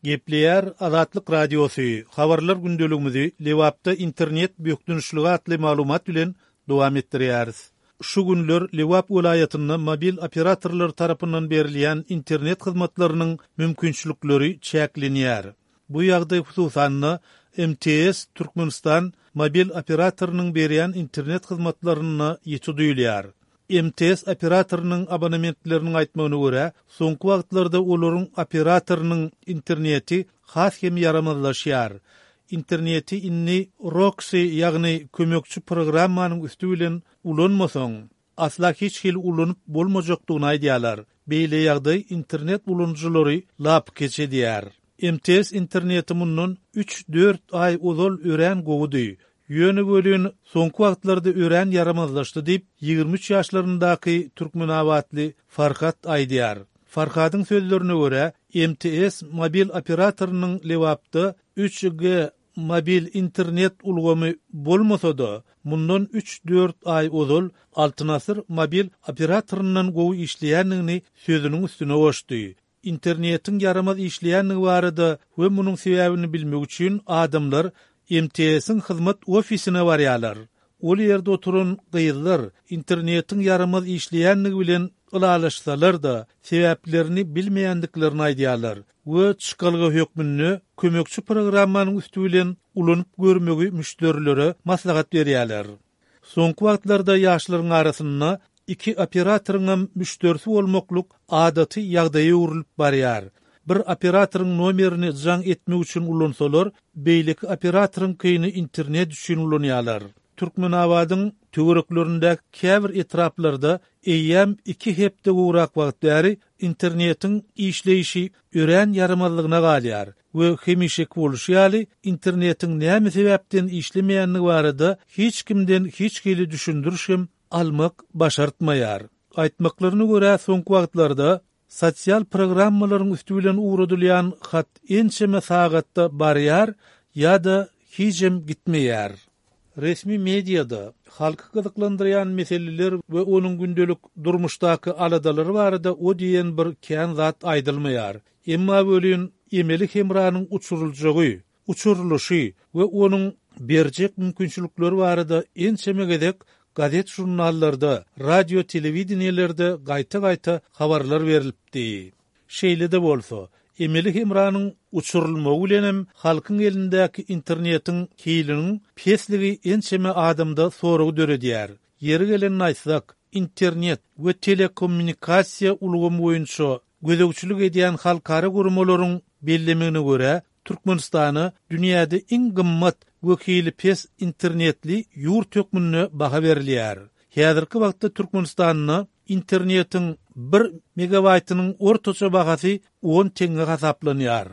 Gepleýär Azatlyk Radiosy, Habarlar gündeligimizi Lebapda internet bökdençligi atly maglumat bilen dowam etdirýäris. Şu günler Lebap welaýatynda mobil operatorlar tarapyndan berilýän internet hyzmatlarynyň mümkinçilikleri çäklenýär. Bu ýagdaý hususan-da MTS Türkmenistan mobil operatorynyň berýän internet hyzmatlarynda ýiti duýulýar. MTS operatorynyň abonementleriniň aýtmagyna görä, soňky wagtlarda olaryň operatorynyň interneti has hem ýaramazlaşýar. Interneti indi Roxy, ýagny kömekçi programmanyň üsti bilen ulanmasaň, asla hiç hili ulanyp bolmajakdygyny aýdýarlar. Beýle ýagdaý internet ulanyjylary lapykeç edýär. MTS interneti mundan üç-dört aý ozal örän gowudy. Ýöne welin, soňky wagtlarda örän ýaramazlaşdy diýip, 23 ýaşlaryndaky türkmenabatly Farhat aýdýar. Farhadyň sözlerine görä, MTS mobil operatorynyň Lebapda üç G mobil internet ulgamy bolmasa-da, mundan üç-dört aý ozal Altyn Asyr mobil operatoryndan gowy işleýändigini sözüniň üstüne goşdy. Internetiň ýaramaz işleýändigi barada we munuň sebäbini bilmek üçin adamlar MTS-iň hyzmat ofisine barýarlar. Ol ýerde oturan gyzlar internetiň ýaramaz işleýändigi bilen ylalaşsalar-da, sebäplerini bilmeýändiklerini aýdýarlar we çykalga hökmünde kömekçi programmanyň üsti bilen ulanyp görmegi müşderilere maslahat berýärler. Soňky wagtlarda ýaşlaryň arasynda iki operatoryňam müşderisi bolmaklyk adaty ýagdaýa öwrülip barýar. Bir operatoryň nomerini jaň etmek üçin ulansalar, beýleki operatoryňkyny internet üçin ulanýarlar. Türkmenabadyň töwereklerindäki käbir etraplarda eýýäm iki hepde gowrak wagt bäri internetiň işleýşi örän ýaramazlygyna galýar. We hemişeki bolşy ýaly, internetiň näme sebäpden işlemeýändigi barada hiç kimden hiç hili düşündiriş hem almak başartmaýar. Aýtmaklaryna görä, soňky wagtlarda sosial programmalaryň üsti bilen ugradylýan hat ençeme sagatda barýar ýa-da hijem gitmeýär. Resmi mediada halky gyzyklandyrýan meseleler we onuň gündelik durmuşdaky aladalary barada o diýen bir kän zat aýdylmaýar. Emma welin emeli hemranyň uçuryljagy, uçurylyşy we onuň berjek mümkinçilikleri barada ençeme gezek gazet-žurnallarda, radio-telewideniýelerde gaýta-gaýta habarlar berlipdi. Şeýle-de bolsa, emeli hemranyň uçurylmagy bilenem halkyň elindäki internetiň hiliniň pesligi ençeme adamda sorag döredýär. Ýeri gelende aýtsak, internet we telekommunikasiýa ulgamy boýunça gözegçilik edýän halkara guramalaryň bellemegine görä, Türkmenistana dünýäde iň gymmat we hili pes internetli ýurt hökmünde baha berilýär. Häzirki wagtda Türkmenistanda internetiň bir megabaýtynyň ortaça bahasy on teňňe hasaplanýar.